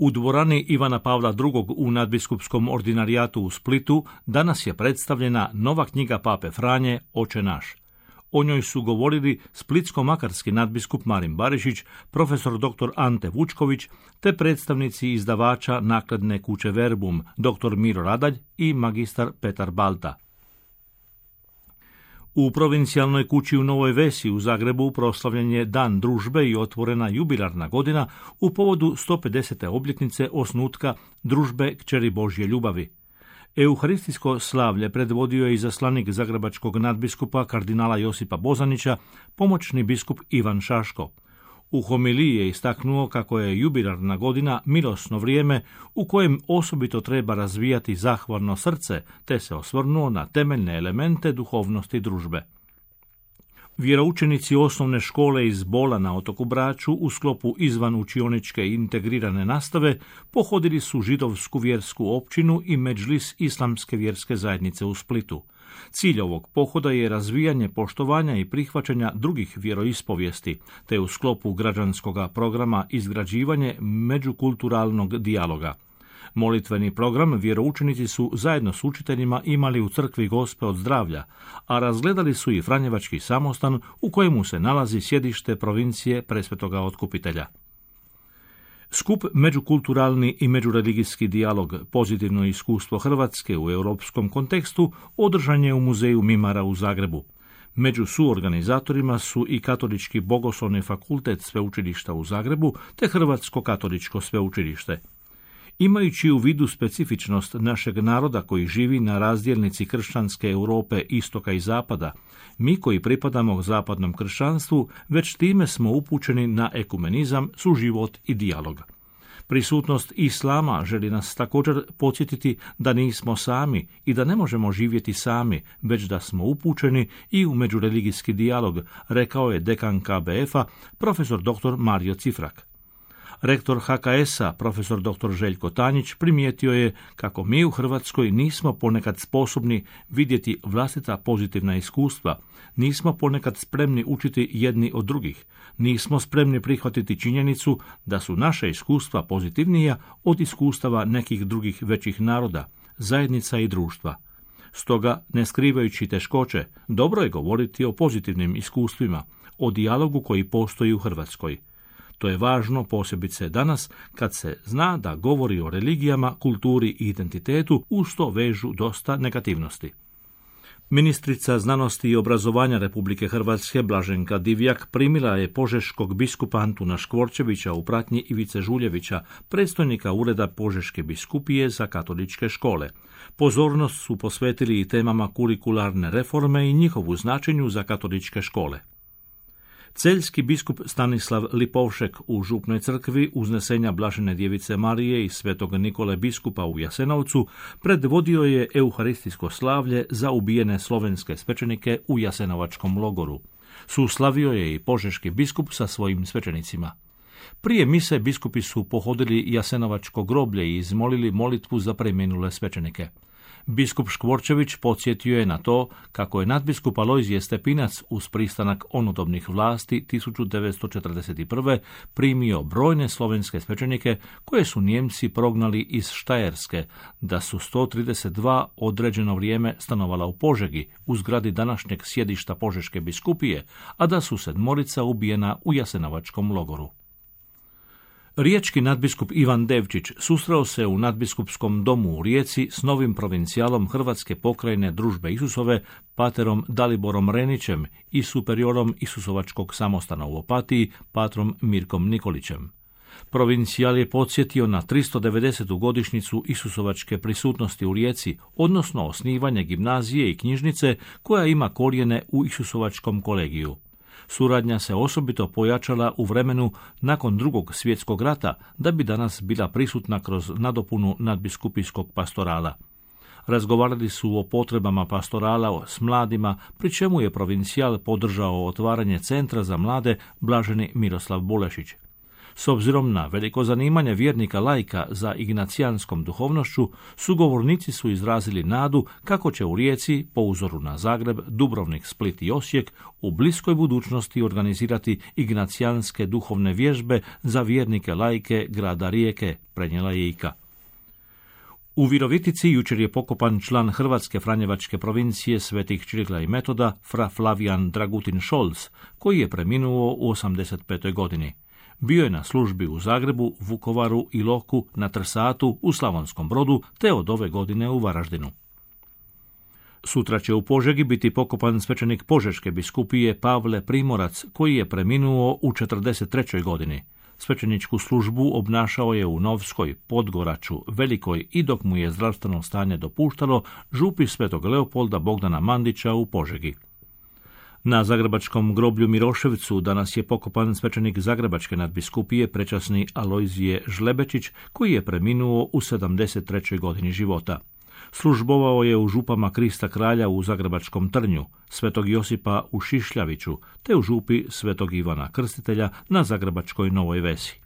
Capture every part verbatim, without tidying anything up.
U dvorani Ivana Pavla drugog. u nadbiskupskom ordinarijatu u Splitu danas je predstavljena nova knjiga Pape Franje Oče naš. O njoj su govorili splitsko-makarski nadbiskup Marin Barišić, profesor doktor Ante Vučković, te predstavnici izdavača nakladne kuće Verbum, doktor Miro Radalj i magistar Petar Balta. U provincijalnoj kući u Novoj Vesi u Zagrebu proslavljen je Dan družbe i otvorena jubilarna godina u povodu sto pedesete obljetnice osnutka Družbe Kćeri Božje ljubavi. Euharistijsko slavlje predvodio je izaslanik zagrebačkog nadbiskupa kardinala Josipa Bozanića, pomoćni biskup Ivan Šaško. U homiliji je istaknuo kako je jubilarna godina milosno vrijeme u kojem osobito treba razvijati zahvalno srce, te se osvrnuo na temeljne elemente duhovnosti družbe. Vjeroučenici osnovne škole iz Bola na otoku Braču u sklopu izvan učioničke integrirane nastave pohodili su židovsku vjersku općinu i medžlis islamske vjerske zajednice u Splitu. Cilj ovog pohoda je razvijanje poštovanja i prihvaćanja drugih vjeroispovijesti, te u sklopu građanskog programa izgrađivanje međukulturalnog dijaloga. Molitveni program vjeroučenici su zajedno s učiteljima imali u crkvi Gospe od zdravlja, a razgledali su i Franjevački samostan u kojemu se nalazi sjedište provincije Presvetoga Otkupitelja. Skup Međukulturalni i međureligijski dijalog, pozitivno iskustvo Hrvatske u europskom kontekstu, održan je u Muzeju Mimara u Zagrebu. Među suorganizatorima su i Katolički bogoslovni fakultet Sveučilišta u Zagrebu te Hrvatsko katoličko sveučilište. Imajući u vidu specifičnost našeg naroda koji živi na razdjelnici kršćanske Europe istoka i zapada, mi koji pripadamo zapadnom kršćanstvu već time smo upućeni na ekumenizam, suživot i dijalog. Prisutnost islama želi nas također podsjetiti da nismo sami i da ne možemo živjeti sami, već da smo upućeni i u međureligijski dijalog, rekao je dekan K B F-a profesor doktor Mario Cifrak. Rektor H K S-a, profesor doktor Željko Tanjić, primijetio je kako mi u Hrvatskoj nismo ponekad sposobni vidjeti vlastita pozitivna iskustva, nismo ponekad spremni učiti jedni od drugih, nismo spremni prihvatiti činjenicu da su naše iskustva pozitivnija od iskustava nekih drugih većih naroda, zajednica i društva. Stoga, ne skrivajući teškoće, dobro je govoriti o pozitivnim iskustvima, o dijalogu koji postoji u Hrvatskoj. To je važno posebice danas kad se zna da govori o religijama, kulturi i identitetu uz to vežu dosta negativnosti. Ministrica znanosti i obrazovanja Republike Hrvatske Blaženka Divjak primila je požeškog biskupa Antuna Škvorčevića u pratnji Ivice Žuljevića, predstojnika ureda Požeške biskupije za katoličke škole. Pozornost su posvetili i temama kurikularne reforme i njihovu značenju za katoličke škole. Celjski biskup Stanislav Lipovšek u Župnoj crkvi uznesenja Blažene djevice Marije i svetog Nikole biskupa u Jasenovcu predvodio je euharistijsko slavlje za ubijene slovenske svećenike u Jasenovačkom logoru. Suslavio je i požeški biskup sa svojim svećenicima. Prije mise biskupi su pohodili Jasenovačko groblje i izmolili molitvu za preminule svećenike. Biskup Škvorčević podsjetio je na to kako je nadbiskup Alojzije Stepinac uz pristanak onodobnih vlasti tisuću devetsto četrdeset prve. primio brojne slovenske svećenike koje su Nijemci prognali iz Štajerske, da su sto trideset dva određeno vrijeme stanovala u Požegi, u zgradi današnjeg sjedišta Požeške biskupije, a da su sedmorica ubijena u Jasenovačkom logoru. Riječki nadbiskup Ivan Devčić susreo se u nadbiskupskom domu u Rijeci s novim provincijalom Hrvatske pokrajine Družbe Isusove, paterom Daliborom Renićem i superiorom Isusovačkog samostana u Opatiji, patrom Mirkom Nikolićem. Provincijal je podsjetio na tristo devedesetu godišnjicu Isusovačke prisutnosti u Rijeci, odnosno osnivanje gimnazije i knjižnice koja ima korijene u Isusovačkom kolegiju. Suradnja se osobito pojačala u vremenu nakon Drugog svjetskog rata, da bi danas bila prisutna kroz nadopunu nadbiskupijskog pastorala. Razgovarali su o potrebama pastorala s mladima, pri čemu je provincijal podržao otvaranje centra za mlade Blaženi Miroslav Bulešić. S obzirom na veliko zanimanje vjernika laika za ignacijanskom duhovnošću, sugovornici su izrazili nadu kako će u Rijeci, po uzoru na Zagreb, Dubrovnik, Split i Osijek, u bliskoj budućnosti organizirati ignacijanske duhovne vježbe za vjernike laike grada Rijeke, prenijela je Ika. U Virovitici jučer je pokopan član Hrvatske franjevačke provincije Svetih Čirila i Metoda, fra Flavijan Dragutin Šolc, koji je preminuo u osamdeset petoj godini. Bio je na službi u Zagrebu, Vukovaru, Iloku, na Trsatu, u Slavonskom Brodu, te od ove godine u Varaždinu. Sutra će u Požegi biti pokopan svećenik Požeške biskupije Pavle Primorac, koji je preminuo u četrdeset trećoj godini. Svećeničku službu obnašao je u Novskoj, Podgoraču, Velikoj i dok mu je zdravstveno stanje dopuštalo, župi Svetog Leopolda Bogdana Mandića u Požegi. Na zagrebačkom groblju Miroševcu danas je pokopan svećenik Zagrebačke nadbiskupije prečasni Alojzije Žlebečić, koji je preminuo u sedamdeset trećoj godini života. Službovao je u župama Krista Kralja u Zagrebačkom Trnju, Svetog Josipa u Šišljaviću, te u župi Svetog Ivana Krstitelja na Zagrebačkoj Novoj Vesi.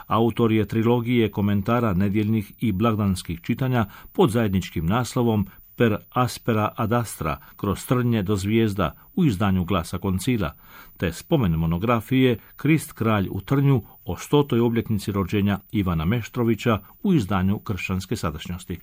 Autor je trilogije komentara nedjeljnih i blagdanskih čitanja pod zajedničkim naslovom Per aspera ad astra, kroz trnje do zvijezda, u izdanju Glasa koncila, te spomen monografije Krist kralj u Trnju o stotoj obljetnici rođenja Ivana Meštrovića u izdanju Kršćanske sadašnjosti.